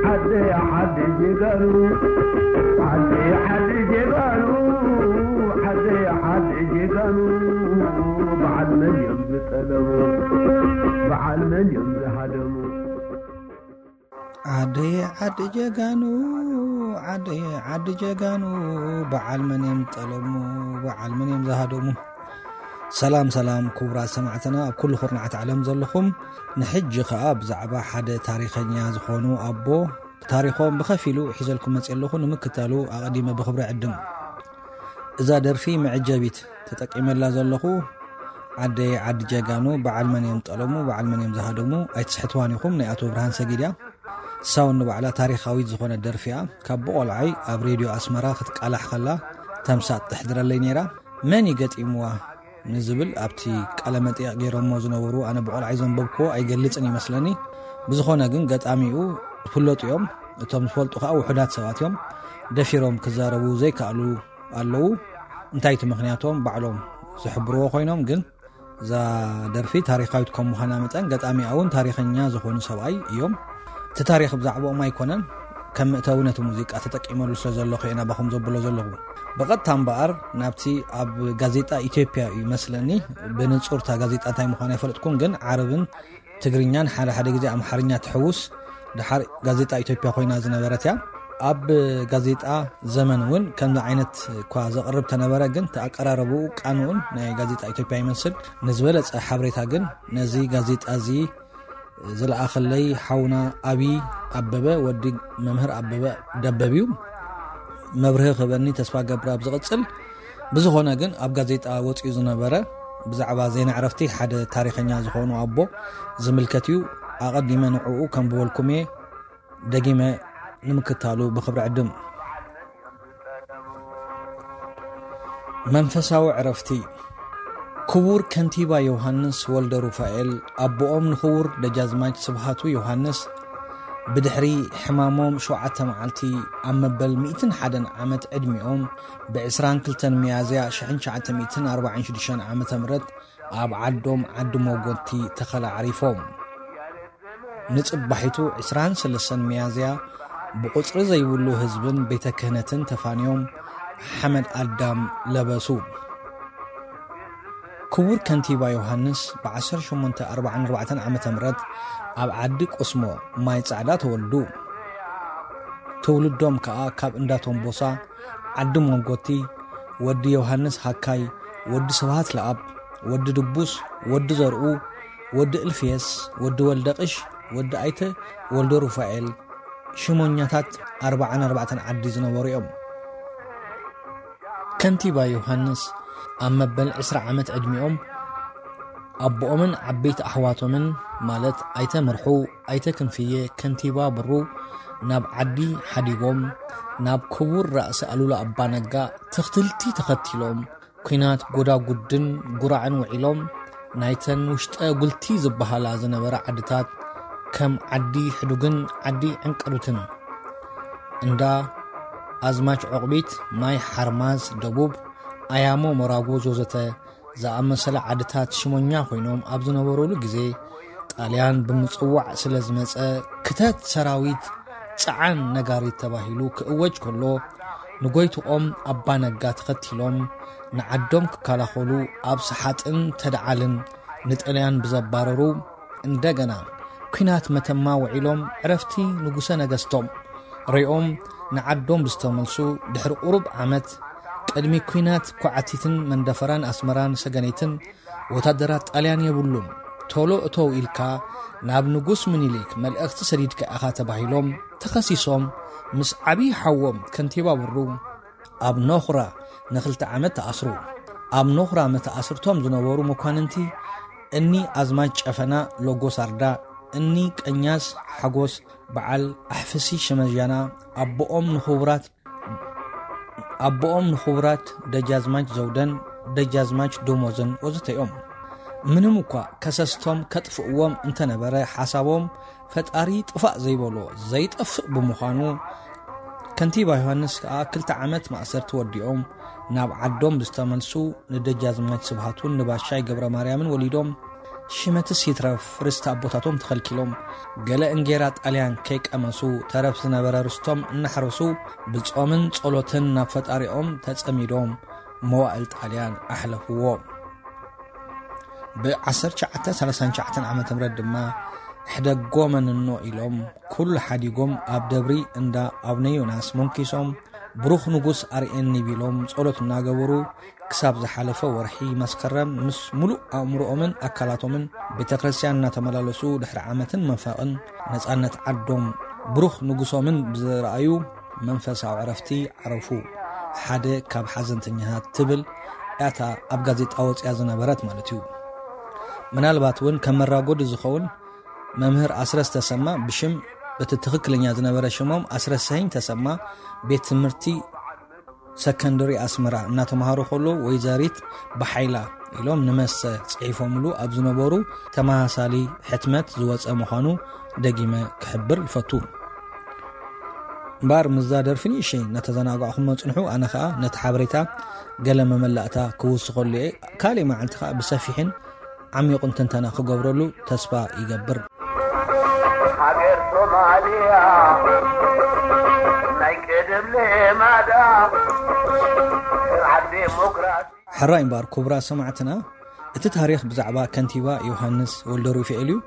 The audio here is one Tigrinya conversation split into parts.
ዓደይ ዓዲ ጀጋኑ፣ ዓደይ ዓዲ ጀጋኑ፣ ዓደይ ዓዲ ጀጋኑ፣ በዓል መን እዮም ዝጠለሙ? በዓል መን እዮም ዝሃደሙ? ዓደይ ዓዲ ጀጋኑ፣ ዓደይ ዓዲ ጀጋኑ፣ በዓል መን እዮም ዝጠለሙ? በዓል መን እዮም ዝሃደሙ? ሰላም ሰላም ክቡራት ሰማዕትና ኣብ ኩሉ ኩርናዓት ዓለም ዘለኹም፣ ንሕጂ ኸኣ ብዛዕባ ሓደ ታሪኸኛ ዝኾኑ ኣቦ ታሪኾም ብኸፊሉ ሒዘልኩም መጽእ ኣለኹ። ንምክታሉ ኣቐዲመ ብኽብሪ ዕድም። እዛ ደርፊ መዐጀቢት ተጠቂመላ ዘለኹ፣ ዓደይ ዓዲ ጀጋኑ፣ በዓል መን እዮም ጠለሙ፣ በዓል መን እዮም ዝሃደሙ፣ ኣይትስሕትዋን ኢኹም፣ ናይ ኣቶ ብርሃን ሰጊድ እያ። ሳውን ንባዕላ ታሪኻዊት ዝኾነት ደርፊ እያ። ካብ ብቆልዓይ ኣብ ሬድዮ ኣስመራ ክትቃላሕ ከላ ተምሳጥ ተሕድረለይ ነይራ። መን እዩ ገጢምዋ ንዝብል ኣብቲ ቃለ መጠይቕ ገይሮሞ ዝነበሩ፣ ኣነ ብቆልዓይ ዘንበብክዎ ኣይገልጽን ይመስለኒ። ብዝኾነ ግን ገጣሚኡ ዝፍለጡ እዮም። እቶም ዝፈልጡ ከኣ ውሑዳት ሰባት እዮም። ደፊሮም ክዛረቡ ዘይከኣሉ ኣለዉ። እንታይ እቲ ምኽንያቶም ባዕሎም ዝሕብርዎ ኮይኖም፣ ግን እዛ ደርፊ ታሪኻዊት ከም ምዃና መጠን ገጣሚኣ እውን ታሪኸኛ ዝኾኑ ሰብኣይ እዮም። እቲ ታሪኽ ብዛዕባኦም ኣይኮነን፣ ከም መእተዊ ነቲ ሙዚቃ ተጠቂመሉ ስለ ዘለኹ እየ ናባኹም ዘብሎ ዘለኹ። ብቐጥታ እምበኣር ናብቲ ኣብ ጋዜጣ ኢትዮጵያ እዩ መስለኒ፣ ብንጹር እታ ጋዜጣ እንታይ ምዃና ኣይፈለጥኩን፣ ግን ዓረብን ትግርኛን ሓደ ሓደ ግዜ ኣምሓርኛ ትሕውስ፣ ደሓር ጋዜጣ ኢትዮጵያ ኮይና ዝነበረት እያ። ኣብ ጋዜጣ ዘመን እውን ከምዚ ዓይነት እኳ ዘቕርብ ተነበረ፣ ግን እቲ ኣቀራረብኡ ቃንኡን ናይ ጋዜጣ ኢትዮጵያ ይመስል። ንዝበለጸ ሓበሬታ ግን ነዚ ጋዜጣ እዚ ዝለኣኸለይ ሓውና ኣብይ ኣበበ፣ ወዲ መምህር ኣበበ ደበብ እዩ። መብርሂ ክህበኒ ተስፋ ገብር ኣብ ዝቕጽል። ብዝኾነ ግን ኣብ ጋዜጣ ወጺኡ ዝነበረ ብዛዕባ ዜና ዕረፍቲ ሓደ ታሪኸኛ ዝኾኑ ኣቦ ዝምልከት እዩ። ኣቐዲመ ንዕኡ ከንብበልኩም እየ። ደጊመ ንምክታሉ ብኽብሪ ዕድም። መንፈሳዊ ዕረፍቲ። ክቡር ከንቲባ ዮሃንስ ወልደ ሩፋኤል፣ ኣቦኦም ንክቡር ደጃዝማች ስብሃቱ ዮሃንስ፣ ብድሕሪ ሕማሞም ሸውዓተ መዓልቲ ኣብ መበል ሚእትን ሓደን ዓመት ዕድሚኦም፣ ብዕስራን ክልተን ሚያዝያ ሽሕን ትሽዓተ ሚእትን ኣርባዓን ሽዱሽተን ዓመተ ምህረት ኣብ ዓዶም ዓዲ ሞጎቲ ተኸላ ዓሪፎም። ንጽባሒቱ ዕስራን ሰለስተን ሚያዝያ ብቑጽሪ ዘይብሉ ህዝብን ቤተ ክህነትን ተፋንዮም ሓመድ ኣዳም ለበሱ። ክቡር ከንቲባ ዮሃንስ ብዓሰርተ ሸሞንተ ኣርባዓን ኣርባዕተን ዓመተ ምህረት ኣብ ዓዲ ቁስሞ ማይ ጻዕዳ ተወልዱ። ትውልዶም ከኣ ካብ እንዳ ቶምቦሳ ዓዲ ሞንጎቲ፣ ወዲ ዮሃንስ ሃካይ፣ ወዲ ስብሃት ለኣብ፣ ወዲ ድቡስ፣ ወዲ ዘርኡ፣ ወዲ እልፍየስ፣ ወዲ ወልደቕሽ፣ ወዲ ኣይተ ወልደ ሩፋኤል፣ ሽሞኛታት ኣርባዓን ኣርባዕተን ዓዲ ዝነበሩ እዮም። ከንቲባ ዮሃንስ ኣብ መበል ዕስራ ዓመት ዕድሚኦም ኣቦኦምን ዓበይቲ ኣሕዋቶምን ማለት ኣይተ ምርሑ፣ ኣይተ ክንፍየ፣ ከንቲባ ብሩ ናብ ዓዲ ሓዲጎም ናብ ክቡር ራእሲ ኣሉላ ኣባ ነጋ ትኽትልቲ ተኸቲሎም ኲናት ጎዳጉድን ጉራዕን ውዒሎም ናይተን ውሽጠ ጉልቲ ዝበሃላ ዝነበራ ዓድታት ከም ዓዲ ሕዱግን ዓዲ ዕንቅሩትን እንዳ ኣዝማች ዑቕቢት፣ ማይ ሓርማዝ ደቡብ፣ ኣያሞ መራጎዝ ወዘተ ዝኣመሰለ ዓድታት ሽሞኛ ኮይኖም ኣብ ዝነበሩሉ ግዜ፣ ጣልያን ብምጽዋዕ ስለ ዝመጸ፣ ክተት ሰራዊት፣ ጽዓን ነጋሪት ተባሂሉ ክእወጅ ከሎ፣ ንጎይትኦም ኣባ ነጋ ተኸቲሎም ንዓዶም ክከላኸሉ ኣብ ሰሓጥን ተደዓልን ንጣልያን ብዘባረሩ፣ እንደገና ኲናት መተማ ውዒሎም ዕረፍቲ ንጉሰ ነገስቶም ሪኦም ንዓዶም ብዝተመልሱ ድሕሪ ቁሩብ ዓመት፣ ቅድሚ ኲናት ኳዕቲትን መንደፈራን ኣስመራን ሰገነይትን ወታደራት ጣልያን የብሉን። ቶሎ እተው ኢልካ ናብ ንጉስ ምኒልክ መልእኽቲ ሰዲድካ ኢኻ ተባሂሎም ተኸሲሶም ምስ ዓብዪ ሓዎም ከንቲባ ብሩ ኣብ ኖኽራ ንኽልተ ዓመት ተኣስሩ። ኣብ ኖኽራ መተኣስርቶም ዝነበሩ መኳንንቲ እኒ ኣዝማች ጨፈና ሎጎስ ኣርዳ፣ እኒ ቀኛዝ ሓጎስ በዓል ኣሕፍሲ ሽመጃና፣ ኣቦኦም ንኽቡራት ኣቦኦም ንኽቡራት ደጃዝማች ዘውደን ደጃዝማች ደሞዝን ወዘተ እዮም። ምንም እኳ ከሰስቶም ከጥፍእዎም እንተነበረ፣ ሓሳቦም ፈጣሪ ጥፋእ ዘይበሎ ዘይጠፍእ ብምዃኑ፣ ከንቲባ ዮሃንስ ከኣ ክልተ ዓመት ማእሰርቲ ወዲኦም ናብ ዓዶም ብዝተመልሱ፣ ንደጃዝማች ስብሃቱን ንባሻይ ገብረ ማርያምን ወሊዶም ሽመትስ ይትረፍ ርስቲ ኣቦታቶም ተኸልኪሎም፣ ገለ እንጌራ ጣልያን ከይቀመሱ፣ ተረፍ ዝነበረ ርስቶም እናሕረሱ፣ ብጾምን ጸሎትን ናብ ፈጣሪኦም ተጸሚዶም መዋእል ጣልያን ኣሕለፍዎ። ብ1939 ዓመተ ምህረት ድማ ሕደጎ መንኖ ኢሎም ኩሉ ሓዲጎም ኣብ ደብሪ እንዳ ኣቡነ ዮናስ መንኪሶም፣ ብሩኽ ንጉስ ኣርእየኒ ቢሎም ጸሎት እናገበሩ ክሳብ ዝሓለፈ ወርሒ መስከረም ምስ ሙሉእ ኣእምሮኦምን ኣካላቶምን ቤተ ክርስቲያን እናተመላለሱ ድሕሪ ዓመትን መንፈቕን ነጻነት ዓዶም ብሩኽ ንጉሶምን ብዝረኣዩ መንፈሳዊ ዕረፍቲ ዓረፉ። ሓደ ካብ ሓዘንተኛታት ትብል እታ ኣብ ጋዜጣ ወጽያ ዝነበረት ማለት እዩ። ምናልባት እውን ከም መራጎዲ ዝኸውን መምህር ኣስረስ ተሰማ ብሽም እቲ ትኽክለኛ ዝነበረ ሽሞም ኣስረሰኝ ተሰማ ቤት ትምህርቲ ሰከንደሪ ኣስመራ እናተምሃሩ ከሎ ወይዘሪት ብሓይላ ኢሎም ንመሰ ጽሒፎምሉ ኣብ ዝነበሩ ተመሳሳሊ ሕትመት ዝወጸ ምዃኑ ደጊመ ክሕብር ይፈቱ። እምበኣር ምስዛ ደርፊ ንእሽተይ እናተዘናጋዕኹም መጽንሑ፣ ኣነ ኸኣ ነቲ ሓበሬታ ገለ መመላእታ ክውስኸሉ እየ። ካልእ መዓልቲ ኸኣ ብሰፊሕን ዓሚቑን ትንተና ክገብረሉ ተስፋ ይገብር። ሃገር ሶማልያ ናይ ቀደም ልማዳ ስርዓት ዴሞክራሲ። ሕራይ እምበኣር ክቡራት ሰማዕትና፣ እቲ ታሪኽ ብዛዕባ ከንቲባ ዮሃንስ ወልደሩፋኤል እዩ።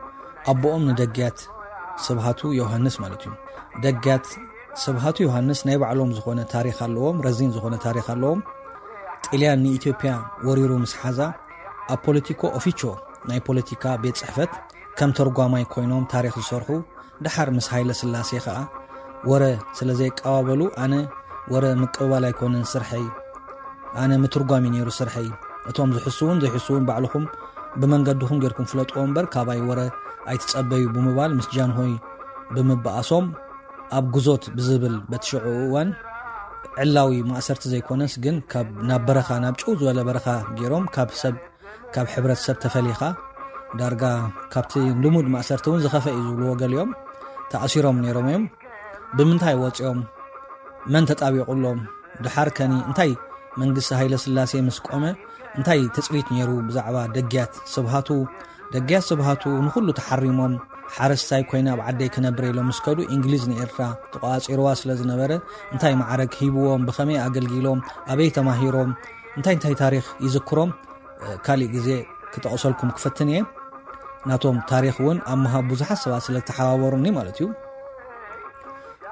ኣቦኦም ንደግያት ስብሃቱ ዮሃንስ ማለት እዩ። ደግያት ስብሃቱ ዮሃንስ ናይ ባዕሎም ዝኾነ ታሪኽ ኣለዎም፣ ረዚን ዝኾነ ታሪኽ ኣለዎም። ጥልያን ንኢትዮጵያ ወሪሩ ምስ ሓዛ፣ ኣብ ፖለቲኮ ኦፊቾ ናይ ፖለቲካ ቤት ጽሕፈት ከም ተርጓማይ ኮይኖም ታሪኽ ዝሰርሑ፣ ደሓር ምስ ሃይለ ስላሴ ኸኣ ወረ ስለ ዘየቀባበሉ፣ ኣነ ወረ ምቅብባል ኣይኮነን ስርሐይ፣ ኣነ ምትርጓም እዩ ነይሩ ስርሐይ። እቶም ዝሕስውን ዘይሕስውን ባዕልኹም ብመንገድኹም ጌርኩም ፍለጥዎ እምበር ካባይ ወረ ኣይትጸበዩ ብምባል ምስ ጃንሆይ ብምበኣሶም ኣብ ጉዞት ብዝብል በቲ ሽዑ እዋን ዕላዊ ማእሰርቲ ዘይኮነስ ግን ካብ ናብ በረኻ ናብ ጭው ዝበለ በረኻ ጌሮም ካብ ሰብ ካብ ሕብረተሰብ ተፈሊኻ ዳርጋ ካብቲ ልሙድ ማእሰርቲ እውን ዝኸፈ እዩ ዝብልዎ ገሊኦም ተኣሲሮም ነይሮም እዮም። ብምንታይ ወፂኦም? መን ተጣቢቑሎም? ድሓር ከኒ እንታይ መንግስቲ ሃይለ ስላሴ ምስ ቆመ እንታይ ትፅቢት ነይሩ ብዛዕባ ደግያት ስብሃቱ? ደግያት ስብሃቱ ንኹሉ ተሓሪሞም ሓረስታይ ኮይነ ኣብ ዓደይ ክነብር ኢሎም ምስ ከዱ እንግሊዝ ንኤርትራ ተቋፂርዋ ስለ ዝነበረ እንታይ ማዕረግ ሂብዎም? ብኸመይ ኣገልጊሎም? ኣበይ ተማሂሮም? እንታይ እንታይ ታሪኽ ይዝክሮም? ካሊእ ግዜ ክጠቕሰልኩም ክፈትን እየ። ናቶም ታሪኽ እውን ኣብ ምሃብ ብዙሓት ሰባት ስለ ዝተሓባበሩኒ ማለት እዩ።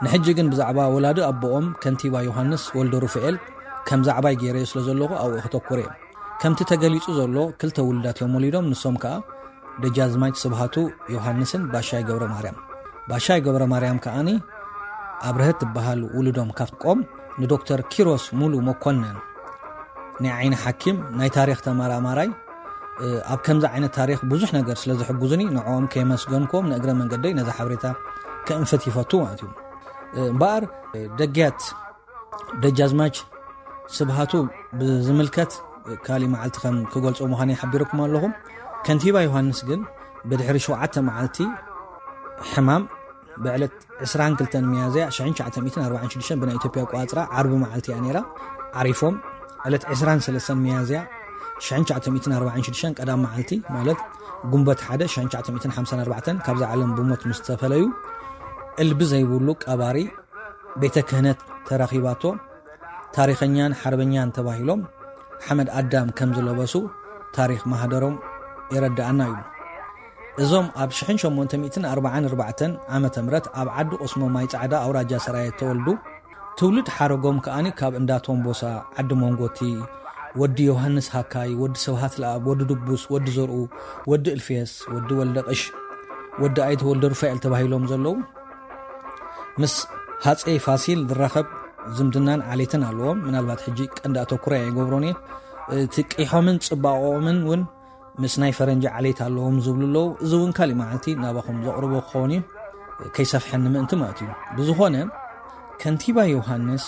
ንሕጂ ግን ብዛዕባ ወላዲ ኣቦኦም ከንቲባ ዮሃንስ ወልደ ሩፋኤል ከም ዛዕባይ ገይረዮ ስለ ዘለኹ ኣብኡ ከተኩር እየ። ከምቲ ተገሊጹ ዘሎ ክልተ ውሉዳት እዮም ወሊዶም። ንሶም ከኣ ደጃዝማች ስብሃቱ ዮሃንስን ባሻይ ገብረ ማርያም። ባሻይ ገብረ ማርያም ከኣኒ ኣብርሀት ትበሃል ውሉዶም ካብቆም ንዶክተር ኪሮስ ሙሉ መኮነን ናይ ዓይኒ ሓኪም ናይ ታሪኽ ተመራማራይ ኣብ ከምዚ ዓይነት ታሪኽ ብዙሕ ነገር ስለ ዝሕጉዙኒ ንዕኦም ከየመስገንክዎም ንእግረ መንገደይ ነዛ ሓበሬታ ከእንፍት ይፈቱ ማለት እዩ። እምበኣር ደግያት ደጃዝማች ስብሃቱ ብዝምልከት ካሊእ መዓልቲ ከም ክገልጾ ምዃነይ ሓቢረኩም ኣለኹ። ከንቲባ ዮሃንስ ግን ብድሕሪ ሸውዓተ መዓልቲ ሕማም ብዕለት ዕስራን ክልተን ሚያዝያ ሽሕን ትሽዓተ ሚእትን ኣርባዓን ሽዱሽተን ብናይ ኢትዮጵያ ኣቆጻጽራ ዓርቢ መዓልቲ እያ ነይራ። ዓሪፎም ዕለት ዕስራን ሰለስተን ሚያዝያ ሽሕን ትሽዓተ ሚእትን ኣርባዓን ሽዱሽተን ቀዳም መዓልቲ ማለት ጉንበት ሓደ ሽሕን ትሽዓተ ሚእትን ሓምሳን ኣርባዕተን ካብዛ ዓለም ብሞት ምስ ተፈለዩ እልቢ ዘይብሉ ቀባሪ ቤተ ክህነት ተረኺባቶ ታሪኸኛን ሓርበኛን ተባሂሎም ሓመድ ኣዳም ከም ዝለበሱ ታሪኽ ማህደሮም የረድኣና እዩ። እዞም ኣብ ሽሕን ሸሞንተ ሚእትን ኣርባዓን ኣርባዕተን ዓመተ ምህረት ኣብ ዓዲ ቁስሞ ማይ ጻዕዳ ኣውራጃ ሰራየ ተወልዱ ትውልድ ሓረጎም ከኣኒ ካብ እንዳ ቶምቦሳ ዓዲ መንጎቲ ወዲ ዮሃንስ ሃካይ፣ ወዲ ስብሃት ለኣብ፣ ወዲ ድቡስ፣ ወዲ ዘርኡ፣ ወዲ እልፍየስ፣ ወዲ ወልደ ቅሽ፣ ወዲ ኣይተ ወልደ ሩፋኤል ተባሂሎም ዘለዉ ምስ ሃፀይ ፋሲል ዝራኸብ ዝምድናን ዓሌትን ኣለዎም። ምናልባት ሕጂ ቀንዲ ኣተኩሮ ኣይገብሮን እየ። እቲ ቂሖምን ፅባቐኦምን እውን ምስ ናይ ፈረንጂ ዓሌት ኣለዎም ዝብሉ ኣለዉ። እዚ እውን ካሊእ መዓልቲ ናባኹም ዘቕርቦ ክኸውን እዩ፣ ከይሰፍሐኒ ምእንቲ ማለት እዩ። ብዝኾነ ከንቲባ ዮሃንስ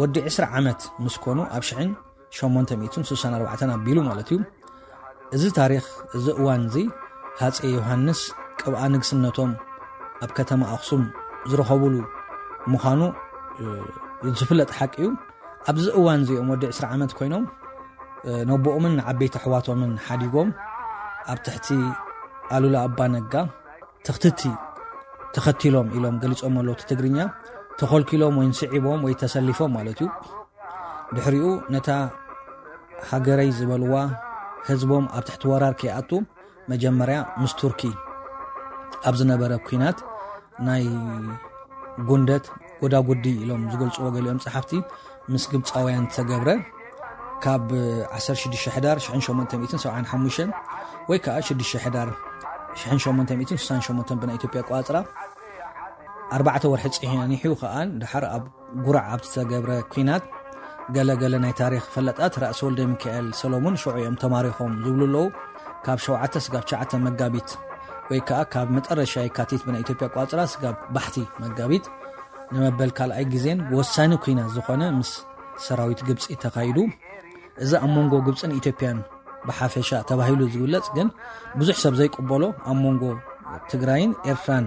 ወዲ ዕስራ ዓመት ምስ ኮኑ ኣብ ሽሕን ሸሞንተ ሚእትን ስሳን ኣርባዕተን ኣቢሉ ማለት እዩ። እዚ ታሪኽ እዚ እዋን እዚ ሃፀይ ዮሃንስ ቅብኣ ንግስነቶም ኣብ ከተማ ኣኽሱም ዝረኸቡሉ ምዃኑ ዝፍለጥ ሓቂ እዩ። ኣብዚ እዋን እዚኦም ወዲ ዕስራ ዓመት ኮይኖም ነቦኦምን ንዓበይቲ ኣሕዋቶምን ሓዲጎም ኣብ ትሕቲ ኣሉላ ኣባ ነጋ ተኽትቲ ተኸቲሎም ኢሎም ገሊጾም ኣለዉ። እቲ ትግርኛ ተኸልኪሎም ወይ ስዒቦም ወይ ተሰሊፎም ማለት እዩ። ድሕሪኡ ነታ ሃገረይ ዝበልዋ ህዝቦም ኣብ ትሕቲ ወራር ከይኣቱ መጀመርያ ምስ ቱርኪ ኣብ ዝነበረ ኲናት ናይ ጉንደት ጎዳጉዲ ኢሎም ዝገልጽዎ ገሊኦም ጸሓፍቲ ምስ ግብጻውያን ዝተገብረ ካብ ዓሰርተ ሽዱሽተ ሕዳር ሽሕን ሸሞንተ ሚእትን ሰብዓን ሓሙሽተን ወይ ከዓ ሽዱሽተ ሕዳር ሽሕን ሸሞንተ ሚእትን ስሳን ሸሞንተን ብናይ ኢትዮጵያ ኣቆጻጽራ ኣርባዕተ ወርሒ ጸኒሑ ከኣ ድሓር ኣብ ጉራዕ ኣብ ዝተገብረ ኲናት ገለ ገለ ናይ ታሪኽ ፈለጣት ራእሲ ወልደ ሚካኤል ሰሎሙን ሽዑ እዮም ተማሪኾም ዝብሉ ኣለዉ። ካብ ሸውዓተ ስጋብ ትሽዓተ መጋቢት ወይ ከዓ ካብ መጠረሻ የካቲት ብናይ ኢትዮጵያ ኣቆጻጽራ ስጋብ ባሕቲ መጋቢት ንመበል ካልኣይ ግዜን ወሳኒ ኲናት ዝኾነ ምስ ሰራዊት ግብጺ ተኻይዱ። እዚ ኣብ መንጎ ግብጽን ኢትዮጵያን ብሓፈሻ ተባሂሉ ዝግለጽ ግን ብዙሕ ሰብ ዘይቅበሎ ኣብ መንጎ ትግራይን ኤርትራን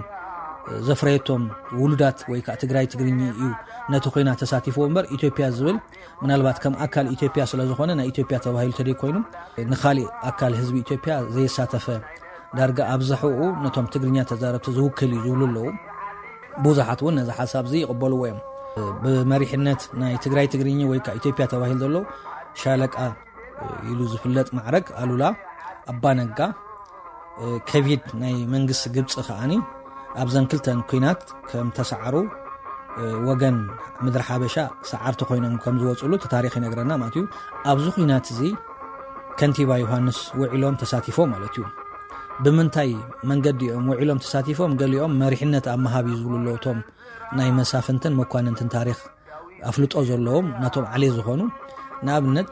ዘፍረየቶም ውሉዳት ወይ ከዓ ትግራይ ትግርኛ እዩ ነቲ ኲናት ተሳቲፍዎ እምበር ኢትዮጵያ ዝብል ምናልባት ከም ኣካል ኢትዮጵያ ስለ ዝኾነ ናይ ኢትዮጵያ ተባሂሉ ተደይ ኮይኑ ንኻሊእ ኣካል ህዝቢ ኢትዮጵያ ዘየሳተፈ ዳርጋ ኣብዝሕኡ ነቶም ትግርኛ ተዛረብቲ ዝውክል እዩ ዝብሉ ኣለዉ። ብዙሓት እውን ነዚ ሓሳብ እዚ ይቕበልዎ እዮም። ብመሪሕነት ናይ ትግራይ ትግርኛ ወይ ከዓ ኢትዮጵያ ተባሂሉ ዘሎ ሻለቃ ኢሉ ዝፍለጥ ማዕረግ ኣሉላ ኣባ ነጋ ከቢድ ናይ መንግስቲ ግብፂ ከዓኒ ኣብዘን ክልተን ኲናት ከም ተሰዓሩ ወገን ምድሪ ሓበሻ ሰዓርቲ ኮይኖም ከም ዝወፅሉ እቲ ታሪኽ ይነግረና ማለት እዩ። ኣብዚ ኲናት እዚ ከንቲባ ዮሃንስ ውዒሎም ተሳቲፎም ማለት እዩ። ብምንታይ መንገዲ እዮም ውዒሎም ተሳቲፎም? ገሊኦም መሪሕነት ኣብ ምሃብ እዩ ዝብሉ ኣለዉ። እቶም ናይ መሳፍንትን መኳንንትን ታሪኽ ኣፍልጦ ዘለዎም ናቶም ዓሌት ዝኾኑ ንኣብነት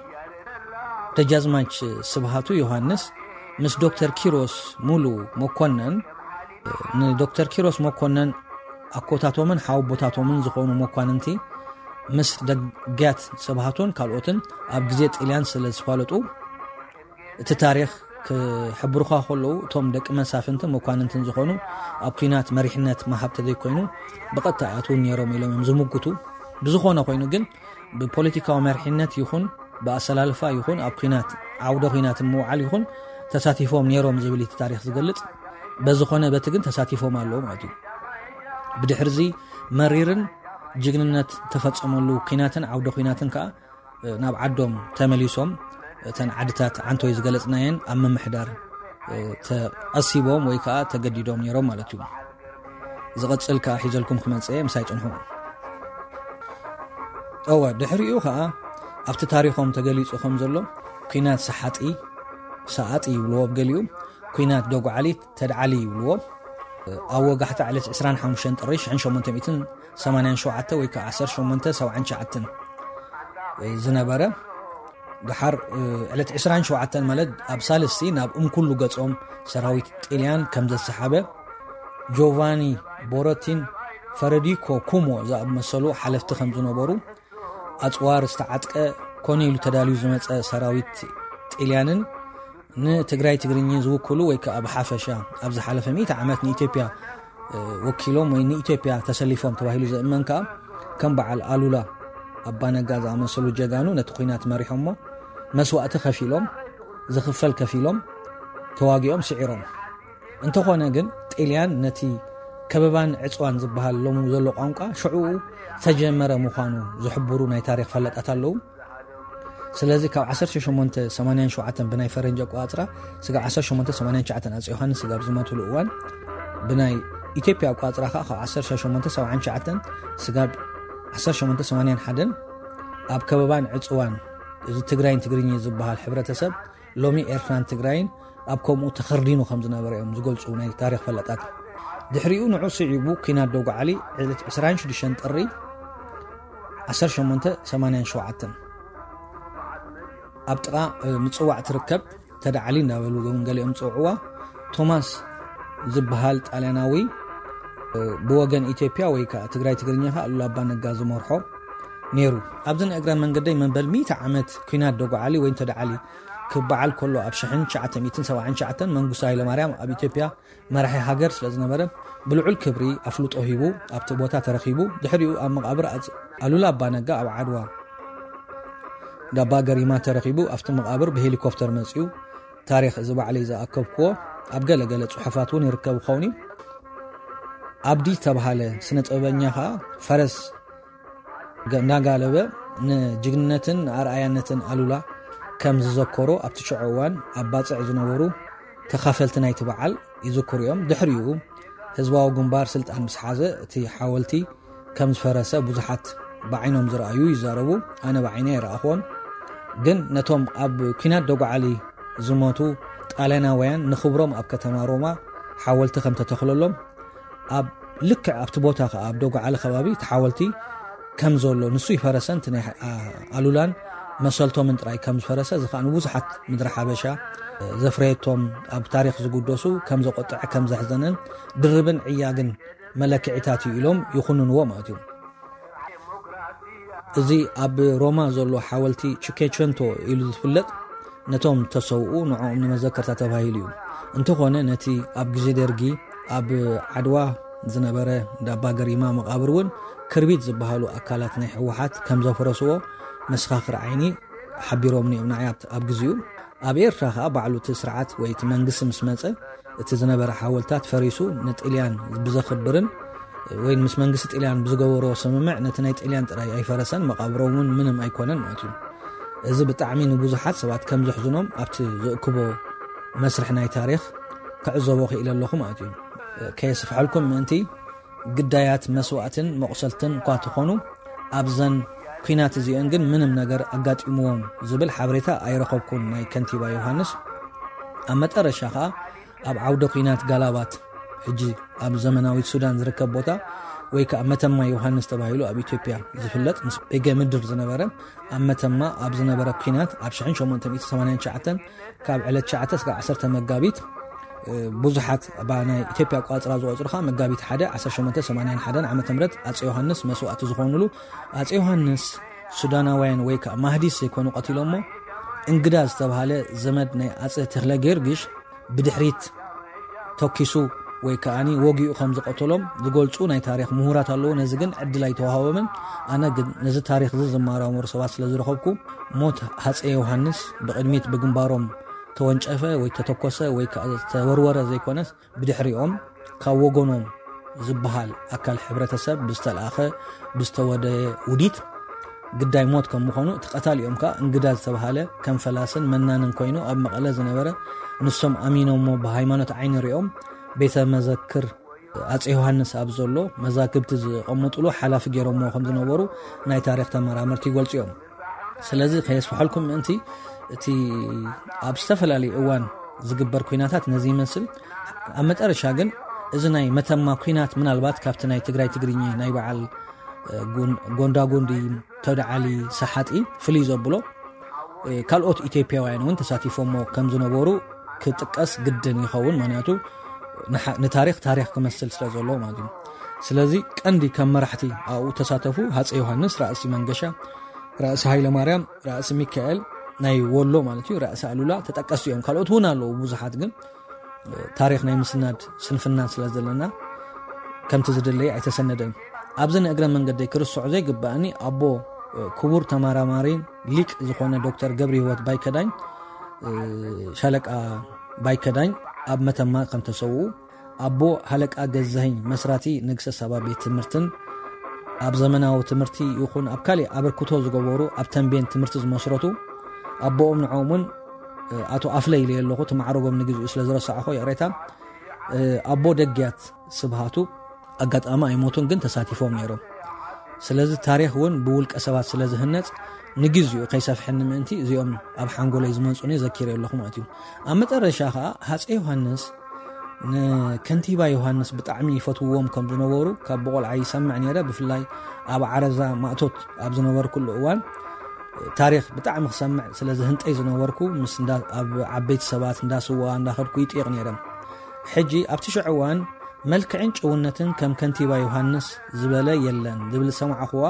ደጃዝማች ስብሃቱ ዮሃንስ ምስ ዶክተር ኪሮስ ሙሉ መኮነን ንዶክተር ኪሮስ መኮነን ኣኮታቶምን ሓወቦታቶምን ዝኾኑ መኳንንቲ ምስ ደግያት ስብሃቱን ካልኦትን ኣብ ግዜ ጥልያን ስለ ዝፋለጡ እቲ ታሪኽ ክሕብሩኻ ከለዉ እቶም ደቂ መሳፍንትን መኳንንትን ዝኾኑ ኣብ ኲናት መሪሕነት መሃብ ተዘይኮይኑ ብቐጥታ ኣትውን ነይሮም ኢሎም እዮም ዝምጉቱ። ብዝኾነ ኮይኑ ግን ብፖለቲካዊ መሪሕነት ይኹን ብኣሰላልፋ ይኹን ኣብ ኲናት ዓውደ ኲናትን ምውዓል ይኹን ተሳቲፎም ነይሮም ዝብል እቲ ታሪኽ ዝገልጽ። በዝኾነ በቲ ግን ተሳቲፎም ኣለዉ ማለት እዩ። ብድሕርዚ መሪርን ጅግንነት ተፈጸመሉ ኲናትን ዓውደ ኲናትን ከዓ ናብ ዓዶም ተመሊሶም እተን ዓድታት ዓንቶይ ዝገለጽናየን ኣብ ምምሕዳር ተቐሲቦም ወይ ከዓ ተገዲዶም ነይሮም ማለት እዩ። ዝቐጽል ከዓ ሒዘልኩም ክመጽእ ምሳይ ጽንሑ። እወ ድሕሪኡ ከዓ ኣብቲ ታሪኾም ተገሊጹ ከም ዘሎ ኲናት ሰሓጢ ሰኣጢ ይብልዎ ብገሊኡ ኲናት ደጉዓሊት ተድዓሊ ይብልዎ። ኣብ ወጋሕታ ዕለት ዕስራን ሓሙሽተን ጥሪ ሽሕን ሸሞንተ ሚእትን ሰማንያን ሸውዓተ ወይ ከዓ ዓሰርተ ሸሞንተ ሰብዓን ትሽዓተን ዝነበረ ድሓር ዕለት ዕስራን ሸውዓተን ማለት ኣብ ሳልስቲ ናብ እምኩሉ ገጾም ሰራዊት ጥልያን ከም ዘሰሓበ ጆቫኒ ቦረቲን ፈረዲኮ ኩሞ ዝኣመሰሉ ሓለፍቲ ከም ዝነበሩ ኣጽዋር ዝተዓጥቀ ኮነ ኢሉ ተዳልዩ ዝመጸ ሰራዊት ጥልያንን ንትግራይ ትግርኛ ዝውክሉ ወይ ከዓ ብሓፈሻ ኣብ ዝሓለፈ ሚእቲ ዓመት ንኢትዮጵያ ወኪሎም ወይ ንኢትዮጵያ ተሰሊፎም ተባሂሉ ዝእመን ከዓ ከም በዓል ኣሉላ ኣባነጋ ዝኣመሰሉ ጀጋኑ ነቲ ኲናት መሪሖሞ መስዋእቲ ከፊሎም ዝኽፈል ከፊሎም ተዋጊኦም ስዒሮም። እንተኾነ ግን ጥልያን ነቲ ከበባን ዕፅዋን ዝበሃል ሎሚ ዘሎ ቋንቋ ሽዑኡ ዝተጀመረ ምዃኑ ዝሕብሩ ናይ ታሪኽ ፈለጣት ኣለዉ። ስለዚ ካብ ዓሰርተ ሸሞንተ ሰማንያን ሸውዓተን ብናይ ፈረንጂ ኣቆፃፅራ ስጋብ ዓሰርተ ሸሞንተ ሰማንያን ትሽዓተን ኣፀ ዮሃንስ ስጋብ ዝመትሉ እዋን ብናይ ኢትዮጵያ ኣቆፃፅራ ከዓ ካብ ዓሰርተ ሸሞንተ ሰብዓን ትሽዓተን ስጋብ ዓሰርተ ሸሞንተ ሰማንያን ሓደን ኣብ ከበባን ዕፅዋን እዚ ትግራይን ትግርኛ ዝበሃል ሕብረተሰብ ሎሚ ኤርትራን ትግራይን ኣብ ከምኡ ተኸርዲኑ ከም ዝነበረ እዮም ዝገልፁ ናይ ታሪኽ ፈለጣት። ድሕሪኡ ንዑ ስዒቡ ኲናት ደጉዓሊ ዕለት ዕስራን ሽዱሽተን ጥሪ ዓሰርተ ሸሞንተ ሰማንያን ሸውዓተን ኣብ ጥቓ ምፅዋዕ ትርከብ ተዳዓሊ እንዳበሉ እውን ገሊኦም ዝፅውዕዋ ቶማስ ዝበሃል ጣልያናዊ ብወገን ኢትዮጵያ ወይ ከዓ ትግራይ ትግርኛ ከዓ ኣሉላ ኣባ ነጋ ዝመርሖ ነይሩ። ኣብዚ ንእግረ መንገደይ መበል ሚእቲ ዓመት ኲናት ደጉዓሊ ወይ ተዳዓሊ ክበዓል ከሎ ኣብ ሽሕን ትሽዓተ ሚእትን ሰብዓን ትሽዓተን መንግስቱ ሃይለማርያም ኣብ ኢትዮጵያ መራሒ ሃገር ስለ ዝነበረ ብልዑል ክብሪ ኣፍልጦ ሂቡ ኣብቲ ቦታ ተረኺቡ። ድሕሪኡ ኣብ መቓብር ኣሉላ ኣባ ነጋ ኣብ ዓድዋ ዳባ ገሪማ ተረኺቡ ኣብቲ መቓብር ብሄሊኮፕተር መፂኡ ታሪኽ እዚ ባዕለይ ዝኣከብክዎ ኣብ ገለ ገለ ጽሑፋት እውን ይርከብ ክኸውን እዩ። ኣብዲ ዝተባሃለ ስነ ጥበበኛ ኸኣ ፈረስ ገ- እናጋለበ ንጅግንነትን ንኣርኣያነትን ኣሉላ ከም ዝዘከሮ ኣብቲ ሽዑ እዋን ኣብ ባጽዕ ዝነበሩ ተኻፈልቲ ናይቲ በዓል ይዝክሩ እዮም። ድሕሪኡ ህዝባዊ ግንባር ስልጣን ምስ ሓዘ እቲ ሓወልቲ ከም ዝፈረሰ ብዙሓት ብዓይኖም ዝረኣዩ ይዛረቡ። ኣነ ብዓይነይ ኣይረኣኹዎን። ግን ነቶም ኣብ ኲናት ደጓዓሊ ዝሞቱ ጣልያናውያን ንኽብሮም ኣብ ከተማ ሮማ ሓወልቲ ከም ተተኽለሎም ኣብ ልክዕ ኣብቲ ቦታ ከኣ ኣብ ደጓዓሊ ከባቢ እቲ ሓወልቲ ከም ዘሎ ንሱ ይፈረሰን እቲ ናይ ኣሉላን መሰልቶምን ጥራይ ከም ዝፈረሰ እዚ ከኣ ንብዙሓት ምድሪ ሓበሻ ዘፍረየቶም ኣብ ታሪኽ ዝጉደሱ ከም ዘቆጥዐ ከም ዘሕዘነን ድርብን ዕያግን መለክዒታት እዩ ኢሎም ይኹንንዎ ማለት እዩ። እዚ ኣብ ሮማ ዘሎ ሓወልቲ ቹኬቸንቶ ኢሉ ዝፍለጥ ነቶም ተሰውኡ ንዕኦም ንመዘከርታ ተባሂሉ እዩ። እንተኾነ ነቲ ኣብ ግዜ ደርጊ ኣብ ዓድዋ ዝነበረ ዳባ ገሪማ መቓብር እውን ክርቢት ዝበሃሉ ኣካላት ናይ ህወሓት ከም ዘፍረስዎ መሰኻኽር ዓይኒ ሓቢሮምኒ እዮም ንዓይ ኣብቲ- ኣብ ግዜኡ። ኣብ ኤርትራ ከኣ ባዕሉ እቲ ስርዓት ወይ እቲ መንግስቲ ምስ መጸ እቲ ዝነበረ ሓወልታት ፈሪሱ ንጥልያን ብዘኽብርን ወይ ምስ መንግስቲ ጥልያን ብዝገበሮ ስምምዕ ነቲ ናይ ጥልያን ጥራይ ኣይፈረሰን፣ መቓብሮም እውን ምንም ኣይኮነን ማለት እዩ። እዚ ብጣዕሚ ንብዙሓት ሰባት ከም ዘሕዝኖም ኣብቲ ዝእክቦ መስርሕ ናይ ታሪኽ ክዕዘቦ ክኢለ ኣለኹ ማለት እዩ። ከየስፍሐልኩም ምእንቲ ግዳያት መስዋእትን መቑሰልትን እኳ ተኾኑ ኣብዘን ኲናት እዚአን ግን ምንም ነገር ኣጋጢምዎም ዝብል ሓበሬታ ኣይረኸብኩን ናይ ከንቲባ ዮሃንስ። ኣብ መጠረሻ ኸኣ ኣብ ዓውደ ኲናት ጋላባት ሕጂ ኣብ ዘመናዊት ሱዳን ዝርከብ ቦታ ወይ ከኣ መተማ ዮሃንስ ተባሂሉ ኣብ ኢትዮጵያ ዝፍለጥ ምስ ቤገ ምድር ዝነበረ ኣብ መተማ ኣብ ዝነበረ ኲናት ኣብ ሽሕን ሸሞንተ ሚእትን ሰማንያን ትሽዓተን ካብ ዕለት ትሽዓተ እስካብ ዓሰርተ መጋቢት ብዙሓት ባ ናይ ኢትዮጵያ ኣቋፅራ ዝቆፅሩ ከዓ መጋቢት ሓደ ዓሰርተ ሸሞንተ ሰማንያን ሓደን ዓመተ ምህረት ኣፀ ዮሃንስ መስዋእቲ ዝኾኑሉ ኣፀ ዮሃንስ ሱዳናውያን ወይ ከዓ ማህዲስ ዘይኮኑ ቀቲሎሞ እንግዳ ዝተባሃለ ዘመድ ናይ ኣፀ ተክለ ጊዮርጊሽ ብድሕሪት ተኪሱ ወይ ከዓኒ ወጊኡ ከም ዝቐተሎም ዝገልፁ ናይ ታሪክ ምሁራት ኣለዉ። ነዚ ግን ዕድል ኣይተዋሃቦምን። ኣነ ግን ነዚ ታሪክ እዚ ዝመራመሩ ሰባት ስለ ዝረኸብኩ ሞት ሃፀ ዮሃንስ ብቕድሚት ብግንባሮም ተወንጨፈ ወይ ተተኮሰ ወይ ከዓ ዝተወርወረ ዘይኮነስ ብድሕሪኦም ካብ ወገኖም ዝበሃል ኣካል ሕብረተሰብ ብዝተለኣኸ ብዝተወደየ ውዲት ግዳይ ሞት ከም ምዃኑ እቲ ቀታሊኦም ከዓ እንግዳ ዝተባሃለ ከም ፈላስን መናንን ኮይኑ ኣብ መቐለ ዝነበረ ንሶም ኣሚኖሞ ብሃይማኖት ዓይኒ ሪኦም ቤተ መዘክር ኣፀ ዮሃንስ ኣብ ዘሎ መዛግብቲ ዝቐምጥሉ ሓላፊ ገይሮሞ ከም ዝነበሩ ናይ ታሪክ ተመራመርቲ ይገልፁ እዮም። ስለዚ ከየስፍሐልኩም ምእንቲ እቲ ኣብ ዝተፈላለዩ እዋን ዝግበር ኩናታት ነዚ ይመስል። ኣብ መጠረሻ ግን እዚ ናይ መተማ ኩናት ምናልባት ካብቲ ናይ ትግራይ ትግርኛ ናይ በዓል ጎንዳጎንዲ ተወደዓሊ ሰሓጢ ፍልይ ዘብሎ ካልኦት ኢትዮጵያውያን እውን ተሳቲፎሞ ከም ዝነበሩ ክጥቀስ ግድን ይኸውን። ምክንያቱ ንታሪክ ታሪክ ክመስል ስለ ዘሎ ማለት እዩ። ስለዚ ቀንዲ ከም መራሕቲ ኣብኡ ተሳተፉ ሃፀ ዮሃንስ፣ ራእሲ መንገሻ፣ ራእሲ ሃይለ ማርያም፣ ራእሲ ሚካኤል ናይ ወሎ ማለት እዩ፣ ራእሲ ኣሉላ ተጠቀስቲ እዮም። ካልኦት እውን ኣለዉ ብዙሓት፣ ግን ታሪክ ናይ ምስናድ ስንፍና ስለ ዘለና ከምቲ ዝድለየ ኣይተሰነደን። ኣብዚ ንእግረ መንገደይ ክርስዖ ዘይግባእኒ ኣቦ ክቡር ተመራማሪ ሊቅ ዝኾነ ዶክተር ገብረ ህይወት ባይከዳኝ፣ ሻለቃ ባይከዳኝ ኣብ መተማ ከም ተሰውኡ፣ ኣቦ ሃለቃ ገዛኸኝ መስራቲ ንግሰ ሳባ ቤት ትምህርትን ኣብ ዘመናዊ ትምህርቲ ይኹን ኣብ ካሊእ ኣበርክቶ ዝገበሩ ኣብ ተንቤን ትምህርቲ ዝመስረቱ ኣቦኦም ንዖም እውን ኣቶ ኣፍለ ኢለ ኣለኹ፣ እቲ ማዕረጎም ንግዚኡ ስለ ዝረሳዕኹ ይቕሬታ። ኣቦ ደግያት ስብሃቱ ኣጋጣሚ ኣይሞቱን፣ ግን ተሳቲፎም ነይሮም። ስለዚ ታሪኽ እውን ብውልቀ ሰባት ስለ ዝህነፅ ንግዚኡ ከይሰፍሐኒ ምእንቲ እዚኦም ኣብ ሓንጎለይ ዝመፁኒ ዘኪረ ኣለኹ ማለት እዩ። ኣብ መጠረሻ ከዓ ሃፀ ዮሃንስ ንከንቲባ ዮሃንስ ብጣዕሚ ይፈትውዎም ከም ዝነበሩ ካብ ብቆልዓ ይሰምዕ ነይረ። ብፍላይ ኣብ ዓረዛ ማእቶት ኣብ ዝነበርኩሉ እዋን ታሪኽ ብጣዕሚ ክሰምዕ ስለ ዝህንጠይ ዝነበርኩ ምስ እንዳ- ኣብ ዓበይቲ ሰባት እንዳስዋ እንዳኸድኩ ይጥይቕ ነይረ። ሕጂ ኣብቲ ሽዑ እዋን መልክዕን ጭውነትን ከም ከንቲባ ዮሃንስ ዝበለ የለን ዝብል ዝሰማዕኹዋ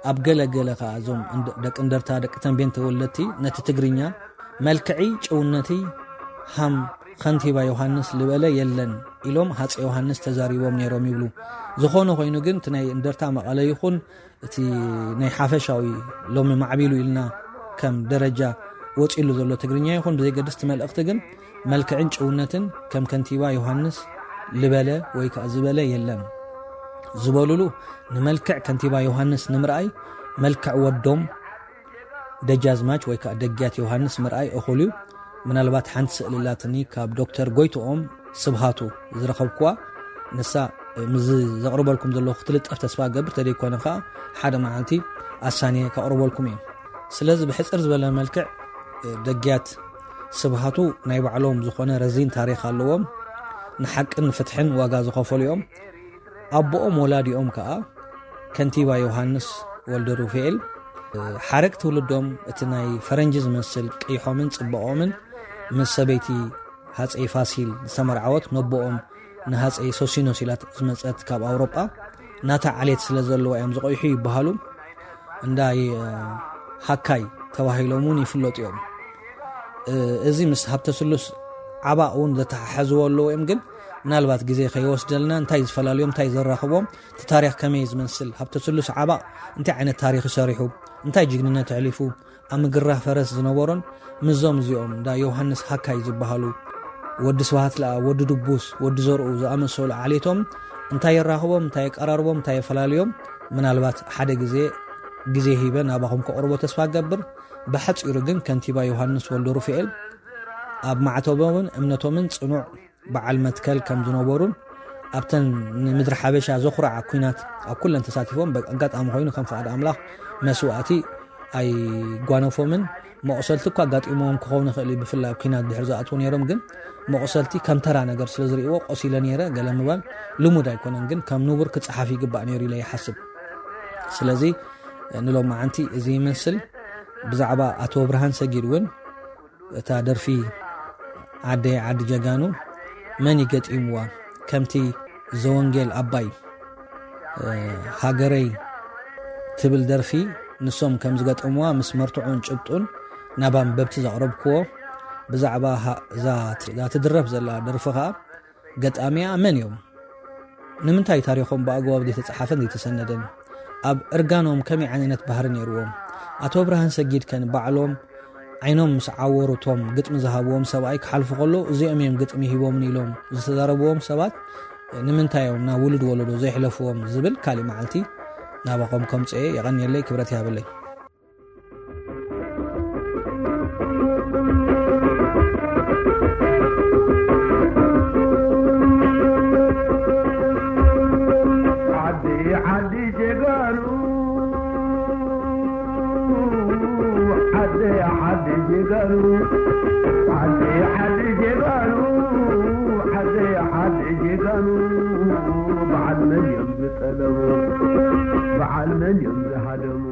ኣብ ገለ ገለ ከኣ እዞም እንደ- ደቂ እንደርታ ደቂ ተንቤን ተወለድቲ ነቲ ትግርኛ መልክዒ ጭውነቲ ሃም ከንቲባ ዮሃንስ ዝበለ የለን ኢሎም ሃፀ ዮሃንስ ተዛሪቦም ነይሮም ይብሉ። ዝኾነ ኮይኑ ግን እቲ ናይ እንደርታ መቐለ ይኹን እቲ ናይ ሓፈሻዊ ሎሚ ማዕቢሉ ኢልና ከም ደረጃ ወጺሉ ዘሎ ትግርኛ ይኹን ብዘይገድስ፣ እቲ መልእኽቲ ግን መልክዕን ጭውነትን ከም ከንቲባ ዮሃንስ ልበለ ወይ ከኣ ዝበለ የለን ዝበሉሉ፣ ንመልክዕ ከንቲባ ዮሃንስ ንምርኣይ መልክዕ ወዶም ደጃዝማች ወይ ከኣ ደግያት ዮሃንስ ምርኣይ እኹል እዩ። ምናልባት ሓንቲ ስእሊ ኣላትኒ ካብ ዶክተር ጎይትኦም ስብሃቱ ዝረኸብኩዋ፣ ንሳ፣ እ፣ ምስዚ ዘቕርበልኩም ዘለኹ ክትልጠፍ ተስፋ እገብር፣ ተደይኮነ ከኣ ሓደ መዓልቲ ኣሳንየ ከቕርበልኩም እየ። ስለዚ ብሕጽር ዝበለ መልክዕ፣ እ፣ ደግያት ስብሃቱ ናይ ባዕሎም ዝኾነ ረዚን ታሪኽ ኣለዎም። ንሓቅን ንፍትሕን ዋጋ ዝኸፈሉ እዮም። ኣቦኦም ወላዲኦም ከኣ ከንቲባ ዮሃንስ ወልደ ሩፋኤል፣ እ፣ ሓረግ ትውልዶም እቲ ናይ ፈረንጂ ዝመስል ቀይሖምን ጽባቖምን ምስ ሰበይቲ ሃጸይ ፋሲል ዝተመርዓወት፣ ነቦኦም ንሃጸይ ሶሲኖስ ኢላ ዝመጸት ካብ ኣውሮጳ ናታ ዓሌት ስለ ዘለዋ እዮም ዝቐይሑ ይበሃሉ። እንዳ፣ እ፣ ሃካይ ተባሂሎም እውን ይፍለጡ እዮም። እ፣ እዚ ምስ ሃብተ ስሉስ ዓባ እውን ዘተሓሕዝዎ ኣለዎ እዮም። ግን ምናልባት ግዜ ከይወስደልና እንታይ ዝፈላልዮም፣ እንታይ ዘራኽቦም፣ እቲ ታሪኽ ከመይ ዝመስል፣ ሃብተ ስሉስ ዓባ እንታይ ዓይነት ታሪኽ ይሰሪሑ፣ እንታይ ጅግንነት ኣሕሊፉ፣ ኣብ ምግራ ፈረስ ዝነበሮን፣ ምስዞም እዚኦም እንዳ ዮሃንስ ሃካይ ዝበሃሉ፣ ወዲ ስብሃት ለኣ፣ ወዲ ድቡስ፣ ወዲ ዘርኡ ዝኣመሰሉ ዓሌቶም እንታይ የራኽቦም፣ እንታይ የቀራርቦም፣ እንታይ የፈላልዮም፣ ምናልባት ሓደ ግዜ፣ ግዜ ሂበ ናባኹም ከቕርቦ ተስፋ እገብር። ብሓጺሩ ግን ከንቲባ ዮሃንስ ወልደ ሩፋኤል ኣብ ማዕተቦምን እምነቶምን ጽኑዕ በዓል መትከል ከም ዝነበሩን፣ ኣብተን ንምድሪ ሓበሻ ዘኹርዓ ኲናት ኣብ ኩለን ተሳቲፎም፣ በ-፣ ኣጋጣሚ ኮይኑ ከም ፍቓድ ኣምላኽ መስዋእቲ ኣይጓነፎምን። መቑሰልቲ እኳ ኣጋጢሞም ክኸውን ይኽእል እዩ፣ ብፍላይ ኣብ ኲናት ድሕሪ ዝኣትዉ ነይሮም፣ ግን መቑሰልቲ ከም ተራ ነገር ስለ ዝርእይዎ፣ ቆሲለ ነይረ ገለ ምባል ልሙድ ኣይኮነን፣ ግን ከም ንቡር ክጸሓፍ ይግባእ ነይሩ ኢለ ይሓስብ። ስለዚ ንሎማዓንቲ እዚ ይመስል። ብዛዕባ ኣቶ ብርሃን ሰጊድ እውን እታ ደርፊ ዓደይ ዓዲ ጀጋኑ መን እዩ ገጢምዋ? ከምቲ ዘወንጌል ኣባይ፣ እ፣ ሃገረይ ትብል ደርፊ ንሶም ከም ዝገጠምዋ ምስ መርትዖን ጭብጡን ናብ ኣንበብቲ ዘቕረብክዎ። ብዛዕባ ሃ-፣ እዛ ት-፣ እዛ ትድረፍ ዘላ ደርፊ ኸኣ ገጣሚኣ መን እዮም? ንምንታይ ታሪኾም ብኣግባቡ ዘይተጻሓፈን ዘይተሰነደን? ኣብ እርጋኖም ከመይ ዓይነት ባህሪ ነይርዎም? ኣቶ ብርሃን ሰጊድ ከ ንባዕሎም ዓይኖም ምስ ዓወሩ እቶም ግጥሚ ዝሃብዎም ሰብኣይ ክሓልፉ ከለዉ፣ "እዚኦም እዮም ግጥሚ ሂቦምኒ" ኢሎም ዝተዛረብዎም ሰባት ንምንታይ እዮም ናብ ውሉድ ወለዶ ዘይሕለፍዎም ዝብል ካሊእ መዓልቲ ናባኹም ከምጽኤ። የቐንየለይ፣ ክብረት ይሃበለይ። ዓዲ ዓዲ ጀጋኑ፣ ዓዲ ዓዲ ጀጋኑ፣ ዓዲ ዓዲ ጀጋኑ፣ ዓዲ ዓዲ ጀጋኑ፣ በዓል መን እዮም ዝጠለቡ? በዓል መን እዮም ዝሃደሙ?